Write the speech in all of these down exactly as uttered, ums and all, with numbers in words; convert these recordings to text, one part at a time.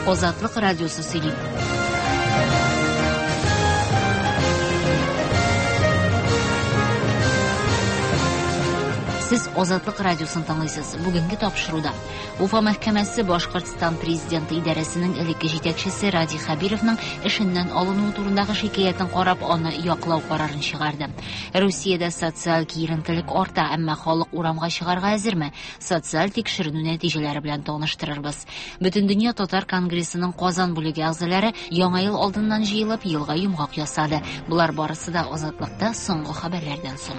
Азатлык радиосы сөйли. Сез Азатлык радиосын тыңлыйсыз. Бүгенге тапшыруда Уфа мәхкәмәсе Башкортстан президенты идарәсенең элекке җитәкчесе Радий Хәбировның эшеннән алынуы турындагы шикаятен карап, аны яклау карарын чыгарды. Русиядә социаль киеренкелек арта, әмма халык урамга чыгарга әзерме? Социаль тикшеренү нәтиҗәләре белән таныштырырбыз. Бөтендөнья татар конгрессының Казан бүлеге әгъзалары яңа ел алдыннан җыелып, елга йомгак ясады. Болар барысы да Азатлыкта соңгы хәбәрләрдән соң.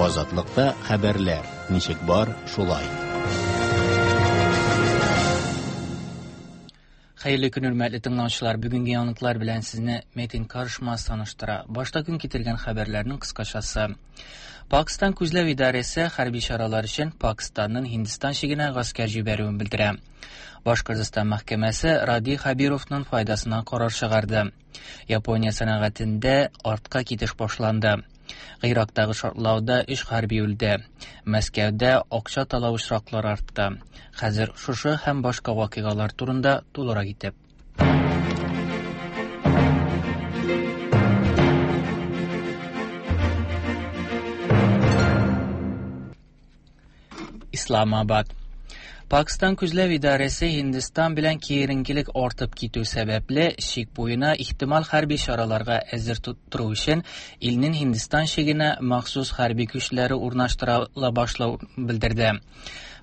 Азатлыкта хәбәрләр ничек бар, шулай. Хәерле көн, хөрмәтле тыңлаучылар. Бүгенге яңалыклар белән сезне Метин Карышмас таныштыра. Башта көн китергән хәбәрләрнең кыскачасы. Пакистан күзләү идарәсе хәрби чаралар өчен Пакистанның Һиндстан чигенә гаскәр җибәрүен белдерә. Башкортстан мәхкәмәсе Радий Хәбировның файдасына карар чыгарды. Япония сәнәгатендә артка китеш башланды. Гыйрактагы шартлауда өч хәрби үлде. Мәскәүдә акча талау очраклары артты. Хәзер шушы һәм башка вакыйгалар турында тулырак итеп. Исламабад. Пакистан күзләү идарәсе Һиндстан белән киеренкелек артып китү сәбәпле чик буена ихтимал хәрби чараларга әзер тору өчен илнең Һиндстан чигенә махсус хәрби көчләре урнаштырыла башлау белдерде.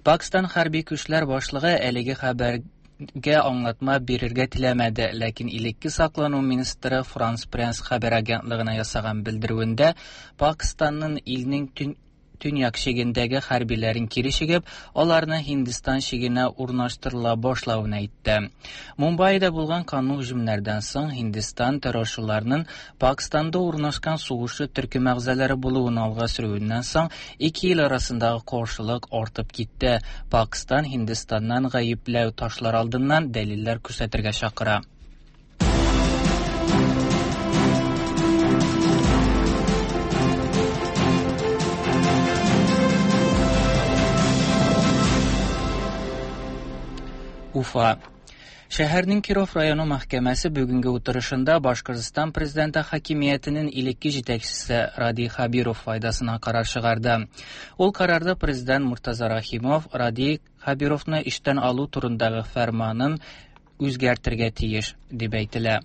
Пакистан хәрби көчләр башлыгы әлеге хәбәргә аңлатма бирергә теләмәде, ләкин элекке саклану министры Франс Пресс хәбәр агентлыгына ясаган белдерүендә Пакистанның илнең төн төньяк чигендәге хәрбиләрен кире чигеп, аларны Һиндстан чигенә урнаштырыла башлавын әйтте. Мумбайда булган канлы һөҗүмнәрдән соң Һиндстан террорчыларының Пакистанда урнашкан сугышчы төркем әгъзалары булуын алга сөрүеннән соң ике ил арасындагы каршылык артып китте. Пакистан Һиндстаннан гаепләү ташлар алдыннан дәлилләр күрсәтергә чакыра. Уфа. Шәһәрнең Киров районы мәхкәмәсе бүгенге утырышында Башкортстан президенты хакимиятенең элекке җитәкчесе Радий Хәбиров файдасына карар чыгарды. Ул карарда президент Муртаза Рахимов Радий Хәбировны эштән алу турындагы фәрманын үзгәртергә тиеш дип әйтелә.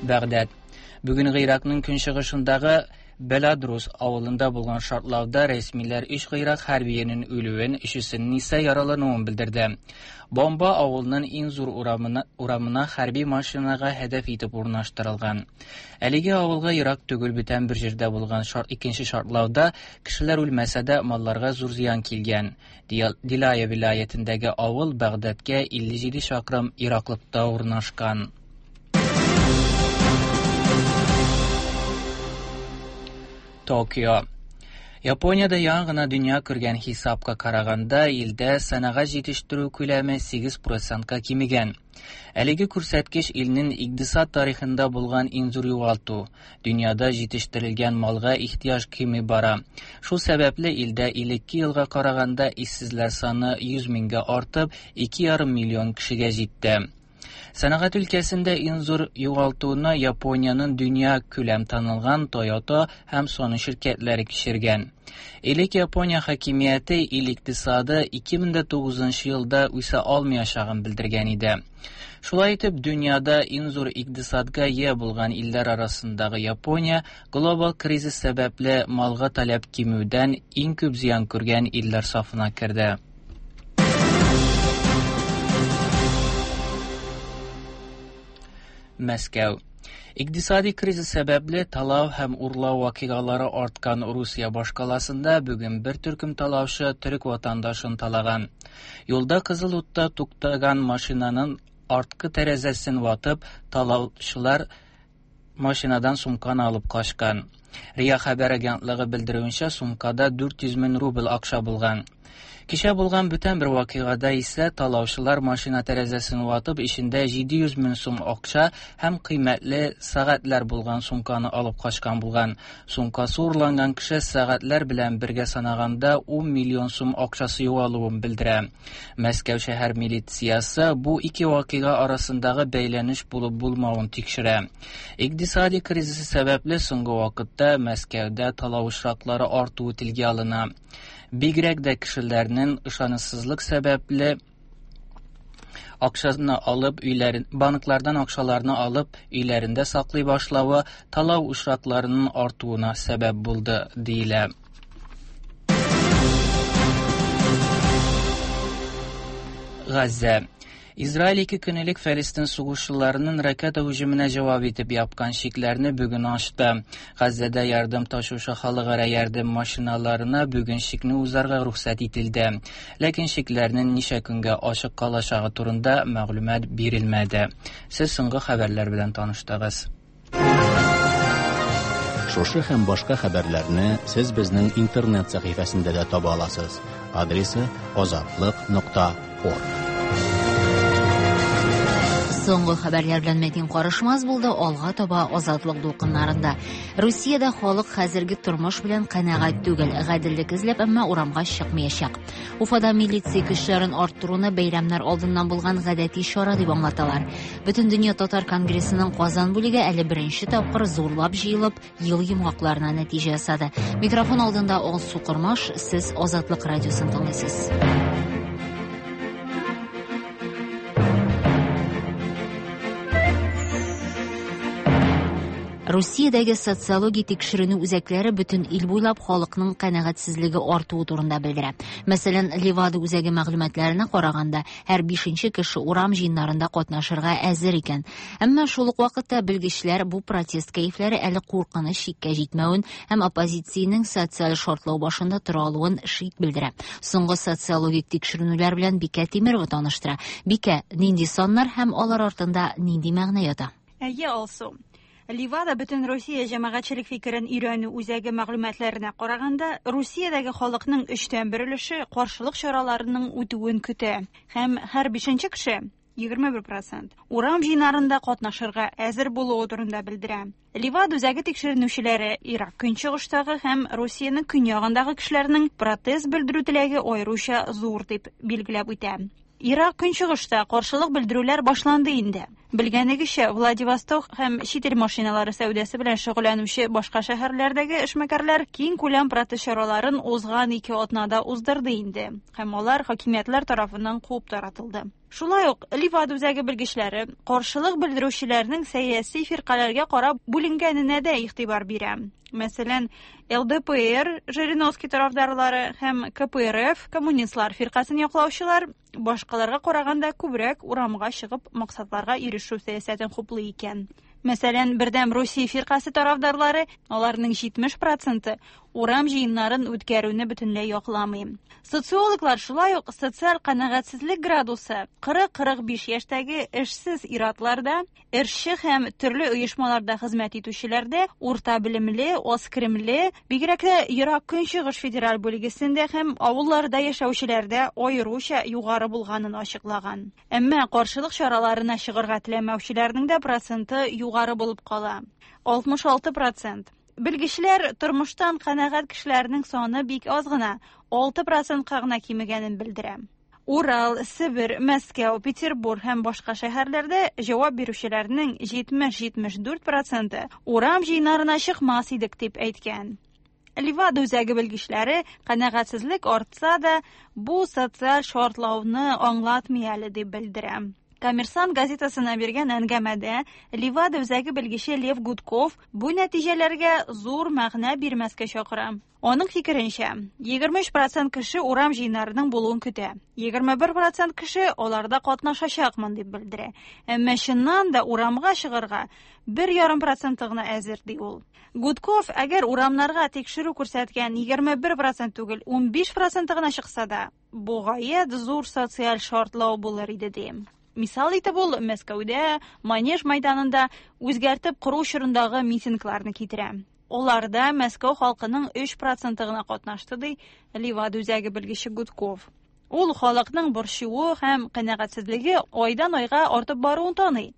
Бәгъдәд. Бүген Гыйракның көнчыгышындагы Беладрус авылында булган шартлауда рәсмиләр өч Гыйрак хәрбиенең үлүен, өчесенең исә яралануын белдерде. Бомба авылның иң зур урамына, урамына хәрби машинага һәдәф итеп урнаштырылган. Әлеге авылга ерак түгел бүтән бер җирдә булган шар, икенче шартлауда кешеләр үлмәсә дә малларга зур зыян килгән. Дилая вилаятендәге авыл Бәгъдәдкә илле җиде чакрым ераклыкта урнашкан. Токио. Япониядә яңа гына дөнья күргән хисапка караганда, илдә сәнәгать җитештерү күләме сигез процентка кимегән. Әлеге күрсәткеч илнең икътисад тарихында булган иң зур югалту. Дөньяда җитештерелгән малга ихтыяҗ кими бара. Шул сәбәпле илдә элекке елга караганда эшсезләр саны йөз меңгә артып, ике ярым миллион кешегә җитте. Сәнәгать өлкәсендә иң зур югалтуны Япониянең дөнья күләм танылган Toyota һәм Sony ширкәтләре кичергән. Элек Япония хакимияте ил икътисады ике мең дә тугызынчы елда үсә алмаячагын белдергән иде. Шулай итеп, дөньяда иң зур икътисадка ия булган илләр арасындагы Япония глобал кризис сәбәпле малга таләп кимүдән иң күп зыян күргән илләр сафына керде. Мәскәү. Икътисади кризис сәбәпле талау һәм урлау вакыйгалары арткан Русия башкаласында бүген бер төркем талаучы төрек ватандашын талаган. Юлда кызыл утта туктаган машинаның арткы тәрәзәсен ватып, талаучылар машинадан сумканы алып качкан. РИА хәбәр агентлыгы белдерүенчә, сумкада дүрт йөз мең рубль акча булган. Кичә булган бүтән бер вакыйгада исә талаучылар машина тәрәзәсен ватып, эчендә җиде йөз мең сум акча һәм кыйммәтле сәгатьләр булган сумканы алып качкан булган. Сумкасы урланган кеше сәгатьләр белән бергә санаганда ун миллион сум акчасы югалуын белдерә. Мәскәү шәһәр милициясе бу ике вакыйга арасындагы бәйләнеш булып булмавын тикшерә. Икътисади кризисы сәбәпле соңгы вакытта Мәскәүдә талау очраклары артуы телгә алына. Бигрәк дә кешеләрнең ышанычсызлык сәбәпле акчаны алып өйләрен, банклардан акчаларны алып өйләрендә саклый башлавы талау очракларының артуына сәбәп булды, диелә. Газзә. Израиль ике көн элек Фәлестин сугышчыларының ракета һөҗүменә җавап итеп япкан чикләрне бүген ачты. Газзәдә ярдәм ташучы халыкара ярдәм машиналарына бүген чикне узарга рөхсәт ителде. Ләкин чикләрнең ничә көнгә ачык калачагы турында мәгълүмат бирелмәде. Сез соңгы хәбәрләр белән таныштыгыз. Шушы һәм башка хәбәрләрне сез безнең интернет сәхифәсендә дә таба аласыз. Адресы азатлык нокта орг. Соңгы хәбәрләр белән Мәдин Карышмаз булды. Алга таба Азатлык дулкыннарында. Русиядә халык хәзерге тормыш белән канәгать түгел, гаделлек эзләп, әмма урамга чыкмаячак. Уфада милиция көчләрен арттыруны бәйрәмнәр алдыннан булган гадәти чара дип аңлаталар. Бөтендөнья татар конгрессының Казан бүлеге әле беренче тапкыр зурлап җыелып, ел йомгакларына нәтиҗә ясады. Микрофон алдында Алсу Кормаш, сез Азатлык радиосын тыңлыйсыз. Русиядәге социология тикшеренү үзәкләре бөтен ил буйлап халыкның канәгатьсезлеге артуы турында белдерә. Мәсәлән, Левада үзәге мәгълүматларына караганда, һәр бишенче кеше урам җыеннарында катнашырга әзер икән. Әмма шул ук вакытта белгечләр бу протест кәефләре әле куркыныч чиккә җитмәвен һәм оппозициянең социаль шартлау башында тора алуын шик белдерә. Соңгы социологик тикшеренүләр белән Бикә Тимирова таныштыра. Бикә, нинди саннар һәм алар артында нинди мәгънә ята? Әйе, Алсу. Ливада бөтен Русия җәмәгатьчелек фикерен өйрәнү үзәге мәгълүматларына караганда, Русиядәге халыкның өчтән бер өлеше каршылык чараларының үтүен көтә һәм һәр бишенче кеше егерме бер процент урам җыеннарында катнашырга әзер булуы турында белдерә. Ливада үзәге тикшеренүчеләре Ирак көнчыгыштагы һәм Русиянең көньягындагы кешеләрнең протест белдерү теләге аеруча зур дип билгеләп үтә. Ирак көнчыгышта каршылык белдерүләр башланды инде. Белгәнегезчә, Владивосток һәм чит ил машиналары сәүдәсе белән шөгыльләнүче башка шәһәрләрдәге эшмәкәрләр киң күләм протест чараларын узган ике атнада уздырды инде, һәм алар хакимиятләр тарафыннан куып таратылды. Шулай ук Ливада үзәге белгечләре каршылык белдерүчеләрнең сәяси фиркаләргә карап бүленгәненә дә игътибар бирә. Мәсәлән, Л Д П Р Жириновский тарафдарлары һәм К П Р Ф коммунистлар фиркасын яклаучылар башкаларга караганда күбрәк урамга чыгып максатларга ирешү сәясәтен хуплый икән. Мәсәлән, Бердәм Русия фиркасе тарафдарлары, аларның җитмеш проценты урам җыеннарын үткәрүне бөтенләй якламый. Социологлар шулай ук социаль канәгатьсезлек градусы кырык-кырык биш яшьтәге эшсез ир-атларда, эшче һәм төрле оешмаларда хезмәт итүчеләрдә, урта белемле, аз керемле, бигрәк тә Ерак Көнчыгыш федераль бүлгесендә һәм авылларда яшәүчеләрдә аеруча югары булганын ачыклаган. Әмма каршылык чараларына чыгарга теләмәүчеләрнең дә проценты югары булып кала. алтмыш алты процент. Белгечләр тормыштан канәгать кешеләрнең саны бик аз гына, алты процентка гына кимегәнен белдерә. Урал, Себер, Мәскәү, Петербург һәм башка шәһәрләрдә җавап бирүчеләрнең җитмеш-җитмеш дүрт проценты урам җыеннарына чыкмас идек дип әйткән. Ливада үзәге белгечләре канәгатьсезлек артса да, бу социаль шартлауны аңлатмый әле дип белдерә. Коммерсант газетасына биргән әңгәмәдә Ливада үзәге белгече Лев Гудков бу нәтиҗәләргә зур мәгънә бирмәскә чакыра. Аның фикеренчә, егерме өч процент кеше урам җыеннарының булуын көтә. Егерме бер процент кеше аларда катнашачакмын дип белдерә. Әмма чыннан да урамга чыгарга бер ярым проценты гына әзер, ди ул. Гудков, әгәр урамнарга тикшерү күрсәткән егерме бер процент түгел, унбиш проценты гына чыкса да, бу гаять зур социаль шартлау булыр иде, ди. Мисал итеп ул Мәскәүдә, Манеж майданында үзгәртеп кору чорындагы митингларны китерә. Аларда Мәскәү халкының өч проценты гына катнашты, ди Левада үзәге белгече Гудков. Ул халыкның борчуы һәм канәгатьсезлеге айдан айга артып баруын таный.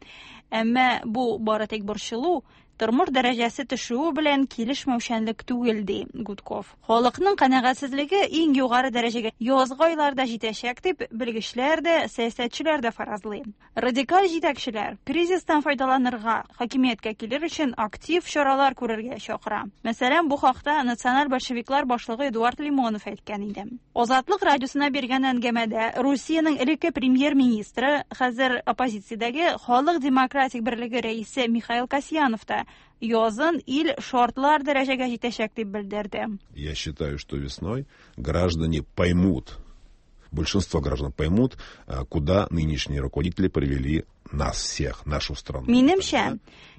Әмма бу бары тик борчылу, тормыш дәрәҗәсе төшүе белән килешмәүчәнлек түгел, ди Гудков. Халыкның канәгатьсезлеге иң югары дәрәҗәгә язгы айларда җитәчәк дип белгечләр дә, сәясәтчеләр дә фаразлый. Радикаль җитәкчеләр кризистан файдаланырга, хакимияткә килер өчен актив чаралар күрергә чакыра. Мәсәлән, бу хакта националь большевиклар башлыгы Эдуард Лимонов әйткән иде. Азатлык радиосына биргән әңгәмәдә Русиянең элекке премьер-министры, хәзер оппозициядәге Халык демократик берлеге рәисе Михаил Касьянов та язын ил шартлар дәрәҗәгә җитәчәк дип белдерде. Я считаю, что весной граждане поймут, большинство граждан поймут, куда нынешние руководители привели нас всех, нашу страну. Минемчә,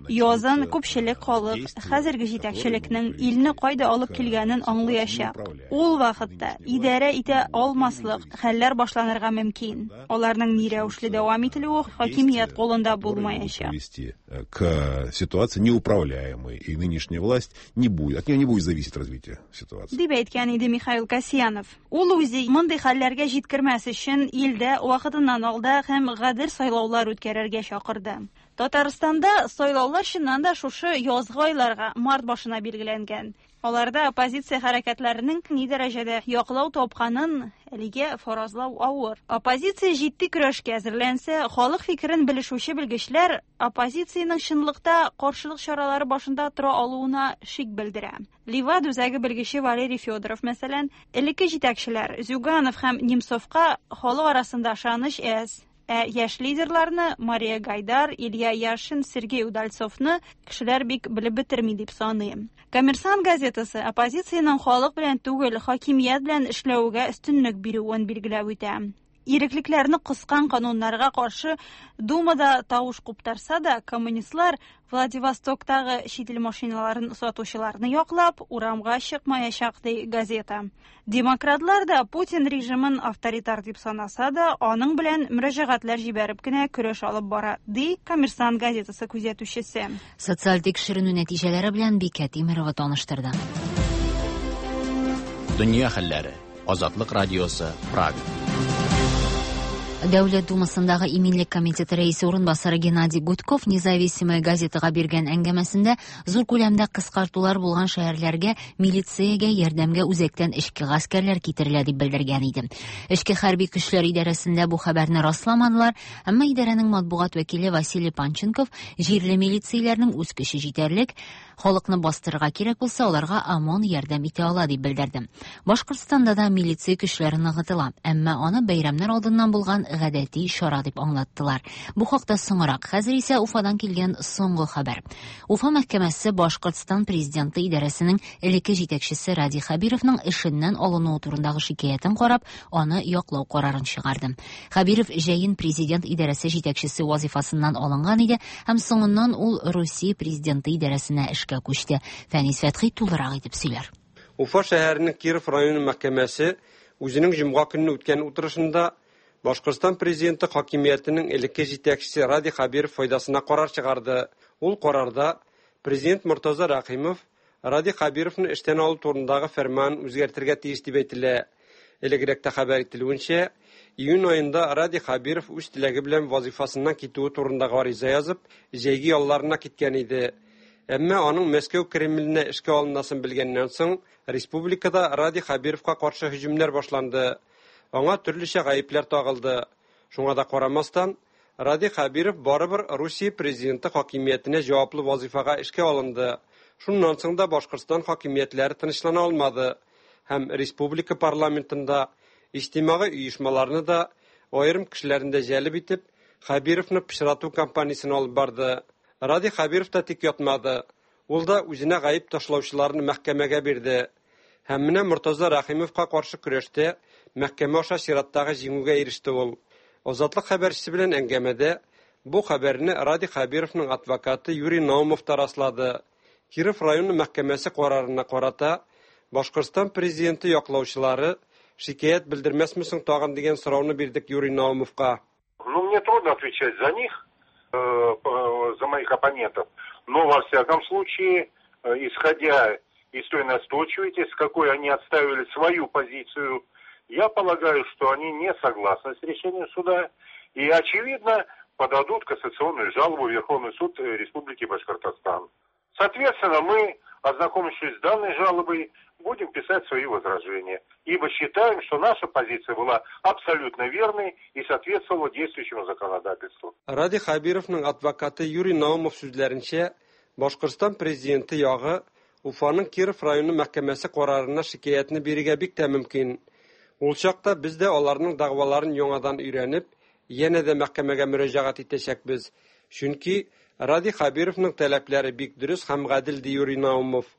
язын күпчелек халык хәзерге җитәкчелекнең илне кайда алып килгәнен аңлаячак. Ул вакытта идарә итә алмаслык хәлләр башланырга мөмкин. Аларның ни рәвешле дәвам ителүе хакимият кулында булмаячак. Привести к ситуации неуправляемой, и нынешняя власть не будет, от нее не будет зависеть развитие ситуации. Дип әйткән иде Михаил Касьянов. Ул үзе мондый хәлләргә җиткермәс өчен илдә вакытыннан алда һәм гадел сайлаулар үткәрергә чакырды. Татарстанда сайлаулар чыннан да шушы язгы айларга, март башына билгеләнгән. Аларда оппозиция хәрәкәтләренең ни дәрәҗәдә яклау тапканын әлегә фаразлау авыр. Оппозиция җитди көрәшкә әзерләнсә, халык фикерен белешүче белгечләр оппозициянең чынлыкта каршылык чаралары башында тора алуына шик белдерә. Левада үзәге белгече Валерий Федоров, мәсәлән, элекке җитәкчеләр Зюганов һәм Немцовка халык арасында ышаныч әз. Ә яшь лидерларны Мария Гайдар, Илья Яшин, Сергей Удальцовны кешеләр бик белеп бетерми дип саный. Коммерсант газетасы оппозициянең халык белән түгел, хакимият белән эшләүгә өстенлек бирүен билгеләп үтә. Иреклекләрне кыскан кануннарга каршы Думада тавыш куптарса да, коммунистлар Владивостоктагы чит ил машиналарын сатучыларны яклап урамга чыкмаячак, ди газета. Демократлар да Путин режимын авторитар дип санаса да, аның белән мөрәҗәгатьләр җибәреп кенә көрәш алып бара, ди Коммерсант газетасы күзәтүчесе. Социаль тикшеренү нәтиҗәләре белән Бикә Тимирова таныштырды. Дөнья хәлләре. Азатлык радиосы, Прага. Дәүләт Думасындагы Иминлек комитеты рәисе урынбасары Геннадий Гудков Независимая газетага биргән әңгәмәсендә зур күләмдә кыскартулар булган шәһәрләргә милициягә ярдәмгә үзәктән эчке гаскәрләр китерелә дип белдергән иде. Эчке хәрби көчләр идарәсендә бу хәбәрне расламадылар, әмма идарәнең матбугат вәкиле Василий Панченков җирле милицияләрнең үз көче җитәрлек, халыкны бастырырга кирәк булса, аларга ОМОН ярдәм итә ала дип белдерде. Башкортстанда да милиция көчләре ныгытыла, әмма аны бәйрәмнәр алдыннан булган гадәти чара дип аңлаттылар. Бу хакта соңрак. Хәзер исә Уфадан килгән соңгы хәбәр. Уфа мәхкәмәсе Башкортстан президенты идарәсенең элекке җитәкчесе Радий Хәбировның эшеннән алынуы турындагы шикаятен карап, аны яклау карарын чыгарды. Хәбиров җәен президент идарәсе җитәкчесе вазифасыннан алынган иде һәм соңыннан ул Русия президенты идарәсенә эшкә күчте. Фәнис Фәтхи тулырак итеп сөйләр. Уфа шәһәренең Киров районы мәхкәмәсе үзенең җомга көнне үткән утырышында Башкортстан президенты хакимиятенең элекке җитәкчесе Радий Хәбиров файдасына карар чыгарды. Ул карарда президент Мортаза Рәхимов Радий Хәбировны эштән алу турындагы фәрман үзгәртергә тиеш дип әйтелә. Элегрәктә хәбәр ителүенчә, июнь аенда Радий Хәбиров үз теләге белән вазифасыннан китүе турындагы гариза язып, җәйге ялларына киткән иде. Әмма аның Мәскәү Кремленә эшкә алынасын белгәннән соң, республикада Радий Хәбировка каршы һөҗүмнәр башланды. Аңа төрлечә гаепләр тагылды. Шуңа да карамастан, Радий Хәбиров барыбер Русия президенты хакимиятенә җаваплы вазифага эшкә алынды. Шуннан соң да Башкортстан хакимиятләре тынычлана алмады һәм республика парламентында иҗтимагый оешмаларны да, аерым кешеләрне дә җәлеп итеп, Хәбировны пычрату кампаниясен алып барды. Радий Хәбиров та тик ятмады. Ул да үзенә гаеп ташлаучыларны мәхкәмәгә бирде. Һәм менә Мортаза Рәхимовка каршы көрәштә мәхкәмә аша чираттагы җиңүгә иреште ул. Азатлык хәбәрчесе белән әңгәмәдә бу хәбәрне Радий Хәбировның адвокаты Юрий Наумов та раслады. Киров районы мәхкәмәсе карарына карата Башкортстан президенты яклаучылары шикаять белдермәсме соң тагын дигән сорауны бирдек Юрий Наумовка. Ну, мне трудно отвечать за них, за моих оппонентов, но во всяком случае исходя из той настойчивости, с какой они отставили свою позицию, я полагаю, что они не согласны с решением суда и, очевидно, подадут кассационную жалобу в Верховный суд Республики Башкортостан. Соответственно, мы, ознакомившись с данной жалобой, будем писать свои возражения, ибо считаем, что наша позиция была абсолютно верной и соответствовала действующему законодательству. Радий Хабировның адвокаты Юрий Наумов сүзләренчә, Башкортстан президенты ягы Уфаның Киров районы мәхкәмәсе карарына шикаятьне бирергә бик тә мөмкин. Ул чакта без дә аларның дәгъваларын яңадан өйрәнеп, янә дә мәхкәмәгә мөрәҗәгать итәчәкбез. Чөнки Радий Хабировның таләпләре бик дөрес һәм гадел, ди Юрий Наумов.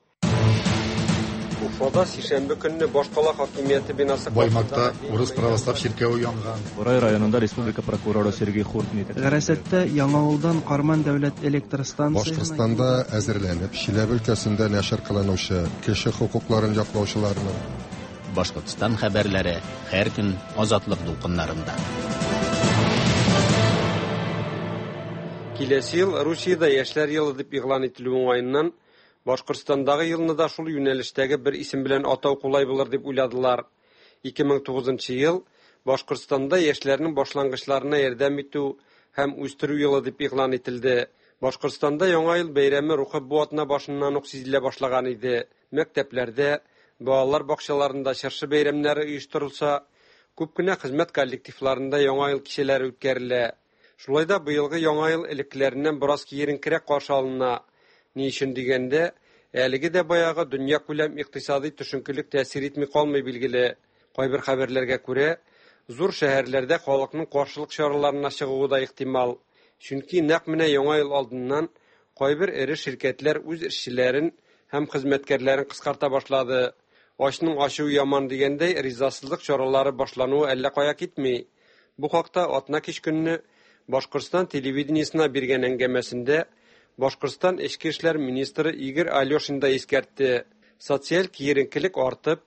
Уфада сишәмбе көнне башкала хакимияте бинасы Баймакта урыс православ чиркәве янган. Бурай районында республика прокуроры Сергей Хуртни. Гарасатта Яңавылдан Карман дәүләт электр станциясенә Башкортстанда әзерләнеп, Чиләбе өлкәсендә нәшер кылынучы кеше хокукларын яклаучыларның Башкортстан хәбәрләре һәр көн Азатлык дулкыннарында. Киләсе ел Русиядә яшьләр елы дип игълан ителү уңаеннан Башкортстандагы елны да шул юнәлештәге бер исем белән атау кулай булыр дип уйладылар. ике мең тугызынчы ел Башкортстанда яшьләрнең башлангычларына ярдәм итү һәм үстерү елы дип игълан ителде. Башкортстанда Яңа ел бәйрәме рухы бу атна башыннан ук сизелә башлаган иде. Мәктәпләрдә, балалар бакчаларында чыршы бәйрәмнәре оештырылса, күп кенә хезмәт коллективларында Яңа ел кичәләре үткәрелә. Шулай да быелгы Яңа ел элеккеләреннән бераз киеренкерәк каршы алына. Ни өчен дигәндә, әлеге дә баягы дөнья күләм икътисади төшенкелек тәэсир итми калмый билгеле. Кайбер хәбәрләргә күрә, зур шәһәрләрдә халыкның каршылык чараларына чыгуы да ихтимал. Чөнки нәкъ менә Яңа ел алдыннан кайбер эре ширкәтләр үз эшчеләрен һәм хезмәткәрләрен кыскарта башлады. Ачның ачуы яман дигәндәй, ризасызлык чаралары башлануы әллә кая китми. Бу хакта атна кич көнне Башкортстан телевидениесенә биргән әңгәмәсендә Башкортстан Эчке эшләр министры Игорь Алешин да искәртте. Социаль киеренкелек артып,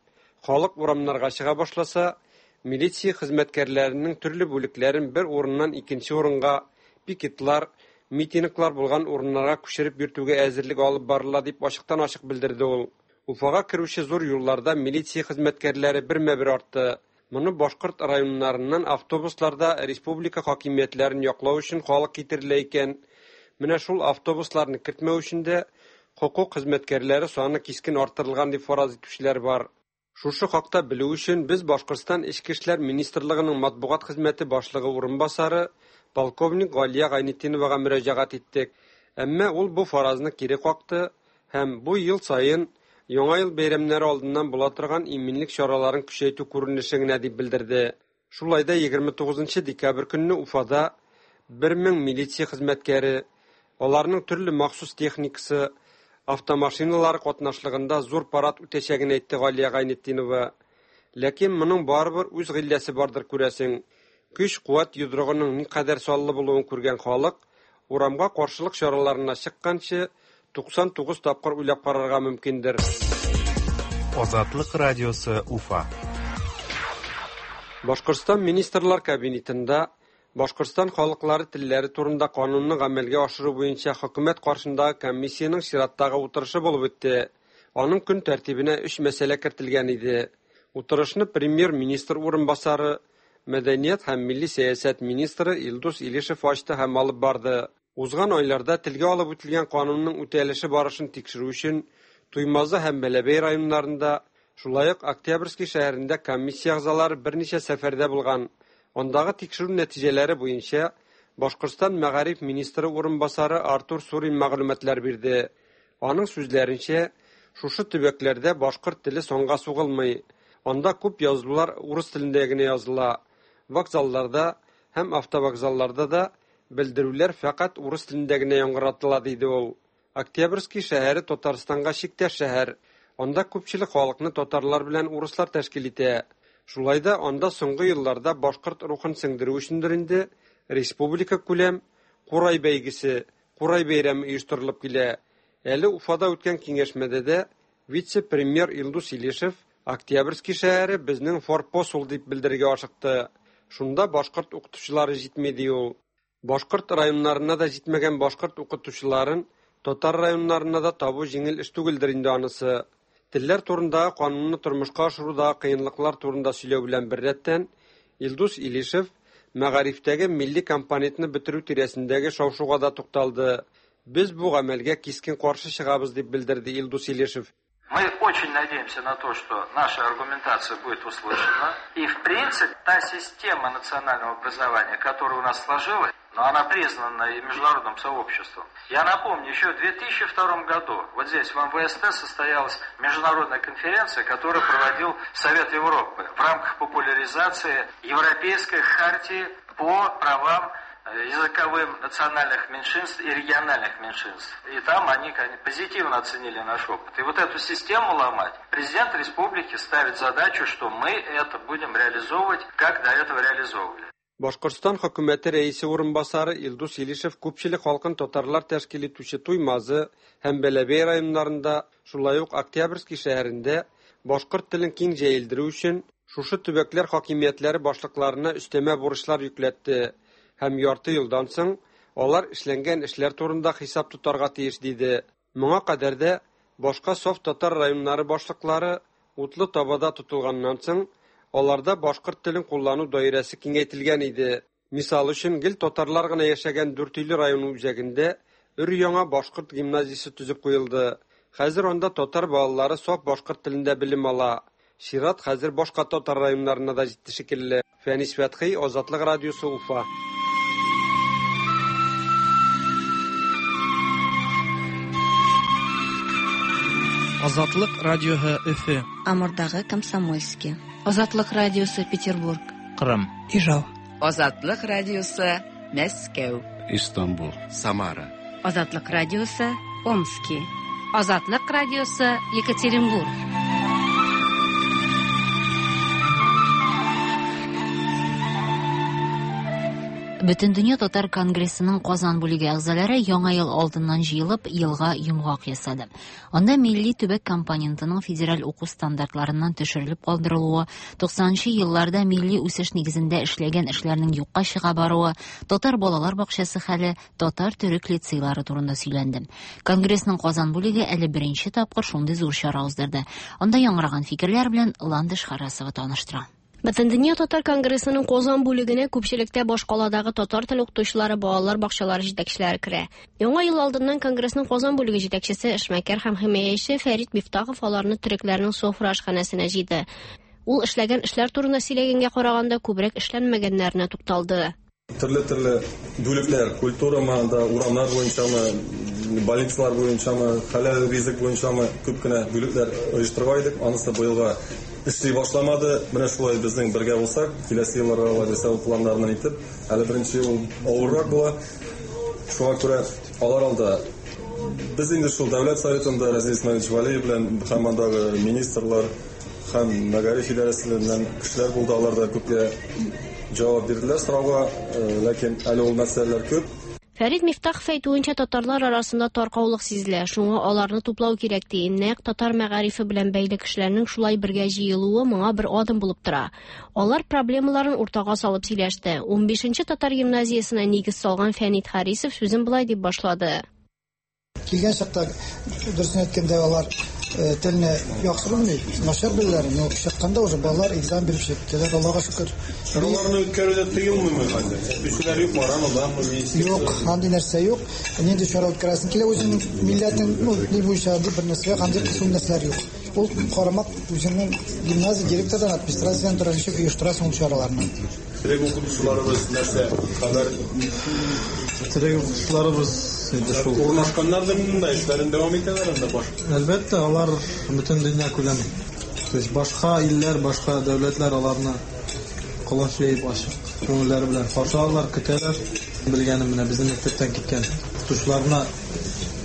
халык урамнарга чыга башласа, милиция хезмәткәрләренең төрле бүлекләрен бер урыннан икенче урынга, пикетлар, митинглар булган урыннарга күчереп йөртүгә әзерлек алып барыла дип ачыктан-ачык белдерде ул. Уфага керүче зур юлларда милиция хезмәткәрләре бермә-бер артты. Моны башкорт районнарыннан автобусларда республика хакимиятләрен яклау өчен халык китерелә икән. Менә шул автобусларны кертмәү өчен дә хокук хезмәткәрләре саны кискен арттырылган дип фараз итүчеләр бар. Шушы хакта белү өчен без Башкортстан Эчке эшләр министрлыгының матбугат хезмәте башлыгы урынбасары полковник Галия Гайнетдиновага мөрәҗәгать иттек. Әмма ул бу фаразны кире какты һәм бу ел саен Яңа ел бәйрәмнәре алдыннан була торган иминлек чараларын көчәйтү күренеше генә дип белдерде. Шулай да егерме тугызынчы декабрь көнне Уфада бер мең милиция хезмәткәре, аларның төрле махсус техникасы, автомашиналары катнашлыгында зур парад үтәчәген әйтте Галия Гайнетдинова. Ләкин моның барыбер үз гыйлләсе бардыр күрәсең. Көч-куәт йодрыгының никадәр саллы булуын күргән халык урамга каршылык чараларына чыкканчы туксан тугыз тапкыр уйлап карарга мөмкиндер. Азатлык радиосы Уфа. Башкортстан Министрлар Кабинетында Башкортстан халыклары телләре турында канунны гамәлгә ашыру буенча хөкүмәт каршындагы комиссиянең чираттагы утырышы булып үтте. Аның көн тәртибенә өч мәсьәлә кертелгән иде. Утырышны премьер-министр урынбасары, мәдәният һәм милли сәясәт министры Илдус Илишев ачты һәм алып барды. Узган айларда телгә алып үтелгән канунның үтәлеше барышын тикшерү өчен Туймазы һәм Бәләбәй районнарында, шулай ук Октябрьский шәһәрендә комиссия әгъзалары берничә сәфәрдә булган. Андагы тикшерү нәтиҗәләре буенча Башкортстан мәгариф министры урынбасары Артур Сурин мәгълүматлар бирде. Аның сүзләренчә, шушы төбәкләрдә башкорт теле санга сугылмый. Анда күп язулар урыс телендә генә языла. Вокзалларда һәм автовокзалларда да белдерүләр фәкать урыс телендә генә яңгыратыла, диде ул. Октябрьский шәһәре Татарстанга чиктәш шәһәр. Анда күпчелек халыкны татарлар белән урыслар тәшкил итә. Шулай да анда соңгы елларда башкорт рухын сеңдерү өчендер инде республика күләм Курай бәйгесе, Курай бәйрәме оештырылып килә. Әле Уфада үткән киңәшмәдә дә вице-премьер Илдус Илишев Октябрьский шәһәре безнең форпост ул дип белдерергә ашыкты. Шунда башкорт укытучылары җитми ди ул. Башкорт районнарына да җитмәгән башкорт укытучыларын Татар районнарына да табу җиңел эш түгелдер инде анысы. Телләр турындагы канунны тормышка ашыруда кыенлыклар турында сөйләү белән беррәттән Илдус Илишев мәгарифтәге милли компонентны бетерү тирәсендәге шау-шуга да тукталды. Без бу гамәлгә кискен каршы чыгабыз, дип белдерде Илдус Илишев. Мы очень надеемся на то, что наша аргументация будет услышана. И, в принципе, та система национального образования, которая у нас сложилась, но она признана и международным сообществом. Я напомню, еще в две тысячи втором году вот здесь, в эм вэ эс тэ, состоялась международная конференция, которую проводил Совет Европы в рамках популяризации Европейской хартии по правам языковым национальных меньшинств и региональных меньшинств. И там они, конечно, позитивно оценили наш опыт. И вот эту систему ломать президент республики ставит задачу, что мы это будем реализовывать, как до этого реализовывали. Башкортстан хөкүмәте рәисе урынбасары Илдус Илишев күпчелек халкын татарлар тәшкил итүче Туймазы һәм Бәләбәй районнарында, шулай ук Октябрьский шәһәрендә башкорт телен киң җәелдерү өчен шушы төбәкләр хакимиятләре башлыкларына өстәмә бурычлар йөкләтте. Һәм ярты елдан соң алар эшләнгән эшләр турында хисап тотарга тиеш диде. Моңа кадәр дә башка саф татар районнары башлыклары утлы табада тотылганнан соң аларда башкорт телен куллану даирәсе киңәйтелгән иде. Мисал өчен, гел татарлар гына яшәгән Дүртөйле районы үзәгендә өр-яңа башкорт гимназиясе төзеп куелды. Хәзер анда татар балалары саф башкорт телендә белем ала. Чират хәзер башка татар районнарына да җитте шикелле. Фәнис Фәтхи, Азатлык радиосы, Уфа. Азатлык радиосы Өфе. Амурдагы Комсомольский. Азатлык радиосы Петербург. Кырым. Ижау. Азатлык радиосы Мәскәү. Истанбул. Самара. Азатлык радиосы Омски. Азатлык радиосы Екатеринбург. Бөтендөнья татар конгрессының Казан бүлеге әгъзалары яңа ел алдыннан җыелып, елга йомгак ясады. Анда милли төбәк компонентының федераль уку стандартларыннан төшерелеп калдырылуы, туксанынчы елларда милли үсеш нигезендә эшләгән эшләрнең юкка чыга баруы, татар балалар бакчасы хәле, татар төрек лицейлары турында сөйләнде. Конгрессның Казан бүлеге әле беренче тапкыр шундый зур чара уздырды. Анда яңгыраган фикерләр белән Ландыш Харасова таныштыра. Бөтендөнья татар конгрессының Казан бүлегенә күпчелектә башкаладагы татар теле укытучылары, балалар бакчалары җитәкчеләре керә. Яңа ел алдыннан конгрессның Казан бүлеге җитәкчесе, эшмәкәр һәм химаячы Фәрит Мифтахов аларны төрекләрнең софра ашханәсенә җыйды. Ул эшләгән эшләр турында сөйләгәнгә караганда күбрәк эшләнмәгәннәренә тукталды. Төрле-төрле бүлекләр, культурамы, анда урамнар буенчамы, больницалар буенчамы, хәләл ризык буенчамы күп кенә бүлекләр оештырган идек. Анысы быелга эшли башламады. Менә шулай безнең бергә булсак, киләсе елларга алай булса планнарны итеп, әле беренче ел авыррак була. Шуңа күрә алар алда без инде шул Дәүләт Советында Разил Исмаилович Валиев белән һәм андагы министрлар һәм мәгариф идарәсеннән кешеләр булды, алар да күпкә җавап бирделәр сорауга, ләкин әле ул мәсьәләләр күп. Фәрит Мифтахов әйтүенчә, татарлар арасында таркаулык сизелә, шуңа аларны туплау кирәк ди. Нәкъ татар мәгарифе белән бәйле кешеләрнең шулай бергә җыелуы моңа бер адым булып тора. Алар проблемаларын уртага салып сөйләште. унбишенче татар гимназиясенә нигез салган Фәнит Харисов сүзен болай дип башлады. Килгән чакта, дөресен әйткәндә, алар телне яхшы белми, начар беләләр, но чыкканда уже балалар экзамен биреп чыктылар, Аллага шөкер. Чараларны үткәрүдә тыелмыймы хәзер? Кешеләр юк, марамы, Юк, андый нәрсә юк. Нинди чара үткәрәсең килә, үзеңнең милләтең, ну, ни буенча андый бер нәрсә юк, андый кысым нәрсәләр юк. Ул карамак үзеңнең гимназия директордан, администрациядән тора, ничек оештырасың ул чараларны. Терек укытучыларыбыз нәрсә хәбәр? Терек укытучыларыбыз инде шул. Урнашканнар да монда эшләрен дәвам итәләр анда баш. Әлбәттә, алар бөтен дөнья күләме. То есть башка илләр, башка дәүләтләр аларны колач җәеп ачык күңелләре белән каршы алалар, көтәләр. Белгәнем менә безнең мәктәптән киткән укытучыларны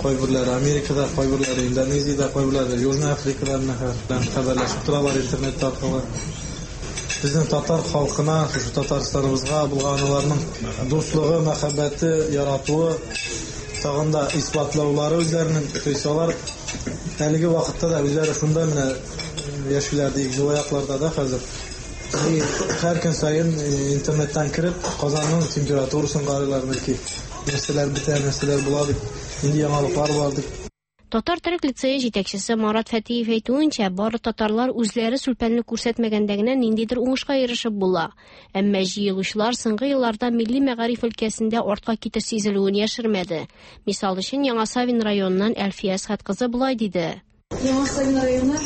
кайберләре Америкада, кайберләре Индонезиядә, кайберләре Южный Африкада белән хәбәрләшеп торалар интернет аркылы. Безнең татар халкына, шушы Татарстаныбызга булган аларның дуслыгы, мәхәббәте, яратуы тагын да исбатлаулары үзләренең, то есть алар әлеге вакытта да үзләре шунда менә яшиләр диек, җылы якларда да хәзер. Һәр көн саен интернеттан кереп, Казанның температурасын карыйлар, бәлки нәрсәләр бетә, нәрсәләр була дип. Нинди яңалыклар бар дип. Татар төрек лицее җитәкчесе Марат Фәтиев әйтүенчә, бары татарлар үзләре сүлпәнлек күрсәтмәгәндә генә ниндидер уңышка ирешеп була. Әмма җыелучылар соңгы елларда милли мәгариф өлкәсендә артка китеш сизелүен яшермәде. Мисал өчен, Яңа Савин районыннан Әлфия Әсхәт кызы болай диде. Яңа Савин районы,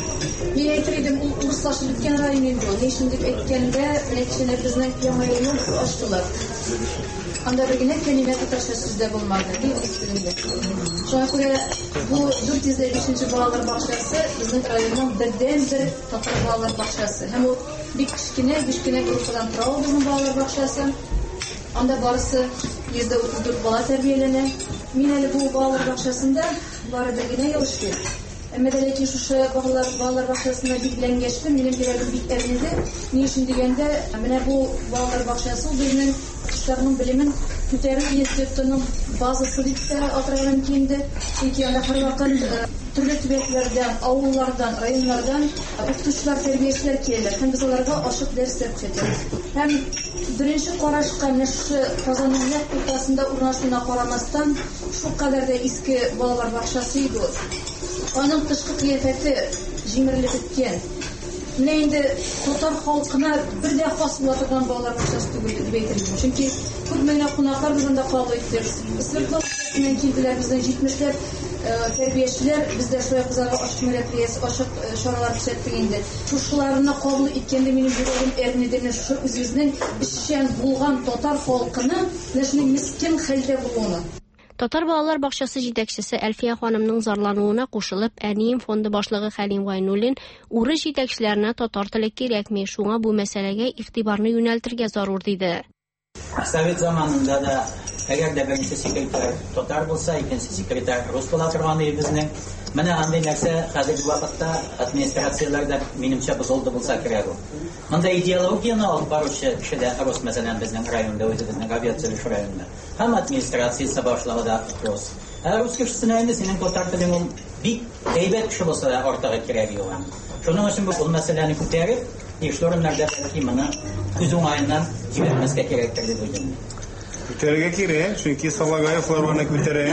мин әйтер идем, ул урыслашып беткән район инде. Ни өчен дип әйткәндә, менә безнең яңа юл ачтылар. Анда бер генә кәлимә татарча сүз дә булмады, ди урыс телендә. Шуңа күрә бу дүрт йөз бишенче балалар бакчасы безнең районның бердәнбер татар балалар бакчасы. Һәм ул бик кечкенә, биш кенә группадан тора ул безнең балалар бакчасы. Анда барысы йөз дә утыз дүрт бала тәрбияләнә. Мин әле бу балалар бакчасында бары бер генә ел эшлим. Әмма дә ләкин шушы балалар балалар бакчасына билгеләнгәч, минем йөрәгем бик әрнеде. Ни өчен дигәндә, менә бу балалар бакчасы безнең кешеләрнең белемен күтәрү институтының базасы дип тә атарга мөмкин инде. Чөнки анда һәрвакыт төрле төбәкләрдән, авыллардан, районнардан укытучылар, тәрбиячеләр киләләр һәм без аларга ачык дәресләр күрсәтәбез. Һәм беренче карашка менә шушы Казанның нәкъ уртасында урнашуына карамастан, шулкадәр дә иске балалар бакчасы иде ул. Аның тышкы кыяфәте җимерелеп беткән. Менә инде татар халкына бер дә хас була торган балалар бакчасы түгел дип әйтер идем. Чөнки күпме генә кунаклар без анда кабул иттек. Свердловскидан килделәр, безнең җитмешләп тәрбиячеләр, без дә шулай кызларга ачык мероприятие, ачык чаралар күрсәттек инде. Шушыларны кабул иткәндә минем йөрәгем әрнеде. Менә шушы үзебезнең эшчән булган татар халкының менә шундый мескен хәлдә булуына. Татар балалар бакчасы җитәкчесе Әлфия ханымның зарлануына кушылып, Әнием фонды башлыгы Хәлим Гайнуллин урыс җитәкчеләренә татар теле кирәкми, шуңа бу мәсьәләгә игътибарны юнәлтергә зарур диде. Совет заманында да әгәр дә беренче секретарь татар булса, икенче секретарь рус була торган иде безнең. Менә андый нәрсә хәзерге вакытта администрацияләрдә минемчә бозылды булса кирәк ул. Монда идеологияне алып баручы кеше дә рус, мәсәлән, безнең районда, үзебезнең авиация районында. Һәм администрациясе башлыгы да рус. Ә рус кешесенә инде синең татар телең ул бик әйбәт кеше булса да артыгы кирәге юк аның. Шуның өчен бу мәсьәләне күтәреп, тиешле урыннарда бәлки моны күз уңаеннан җибәрмәскә кирәктер дип уйлыйм. Күтәрергә кирәк, чөнки Салагаевлар аны күтәрә.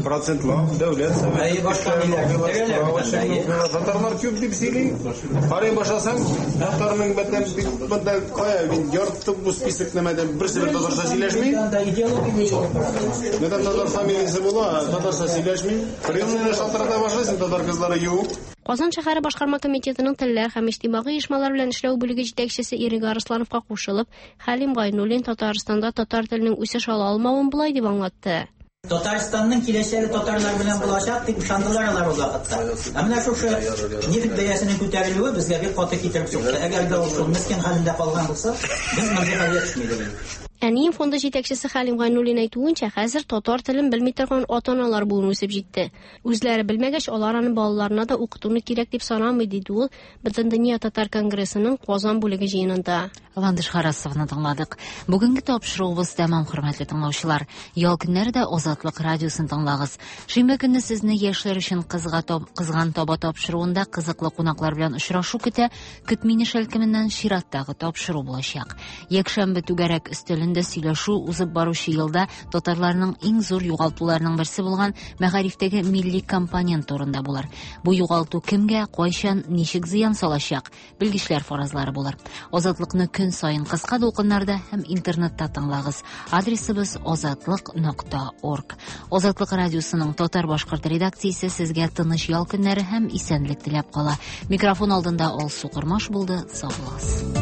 Процентлап дәүләт советы. Башка ниләр күтәрәләр. Татарлар күп дип сөйли. Карый башласаң, татарның бәтән бик монда кая мин ярты бу список нәмәдән берсе бер татарча сөйләшми. Нәдән татар фамилиясе була, татарча сөйләшми. Приемныйны шалтырата башлыйсың, татар кызлары юк. Казан шәһәре башкарма комитетының телләр һәм иҗтимагый оешмалар белән эшләү бүлеге җитәкчесе Ирек Арыслановка кушылып, Хәлим Гайнуллин Татарстанда татар теленең үсеш ала алмавын болай дип аңлатты. Татарстанның киләчәге татарлар белән булачак дип ышандылар алар ул вакытта. Ә менә шушы нефть бәясенең күтәрелүе безгә бик каты китереп сукты. Әгәр дә ул шул мескен хәлендә калган булса, без мондый хәлгә төшми идек. Әнием фонды җитәкчесе Хәлим Гайнуллин әйтүенчә, хәзер татар телен белми торган ата-аналар буын үсеп җитте. Үзләре белмәгәч, алар аны балаларына да укытуны кирәк дип санамый, диде ул Бөтендөнья татар конгрессының Казан бүлеге җыенында. Ландыш Харасовны тыңладык. Бүгенге тапшыруыбыз тәмам, хөрмәтле тыңлаучылар. Ял көннәре дә Азатлык радиосын тыңлагыз. Шимбә көнне сезне яшьләр өчен кызга тап, кызган таба тапшыруында кызыклы кунаклар белән очрашу көтә. Көтмине шәлкеменнән чираттагы тапшыру булачак. Якшәмбе түгәрәк өстәлендә сөйләшү узып баручы елда татарларның иң зур югалтуларының берсе булган мәгарифтәге милли компонент турында булыр. Бу югалту кемгә, кайчан, ничек зыян салачак? Белгечләр фаразлары булыр. Азатлыкны көн сайын кыска дулкыннарда һәм интернетта тыңлагыз. Адресыбыз азатлык нокта орг. Азатлык радиосының татар-башкорт редакциясе сезгә тыныч ял көннәре һәм исәнлек теләп кала. Микрофон алдында Алсу Кормаш булды. Сау булыгыз.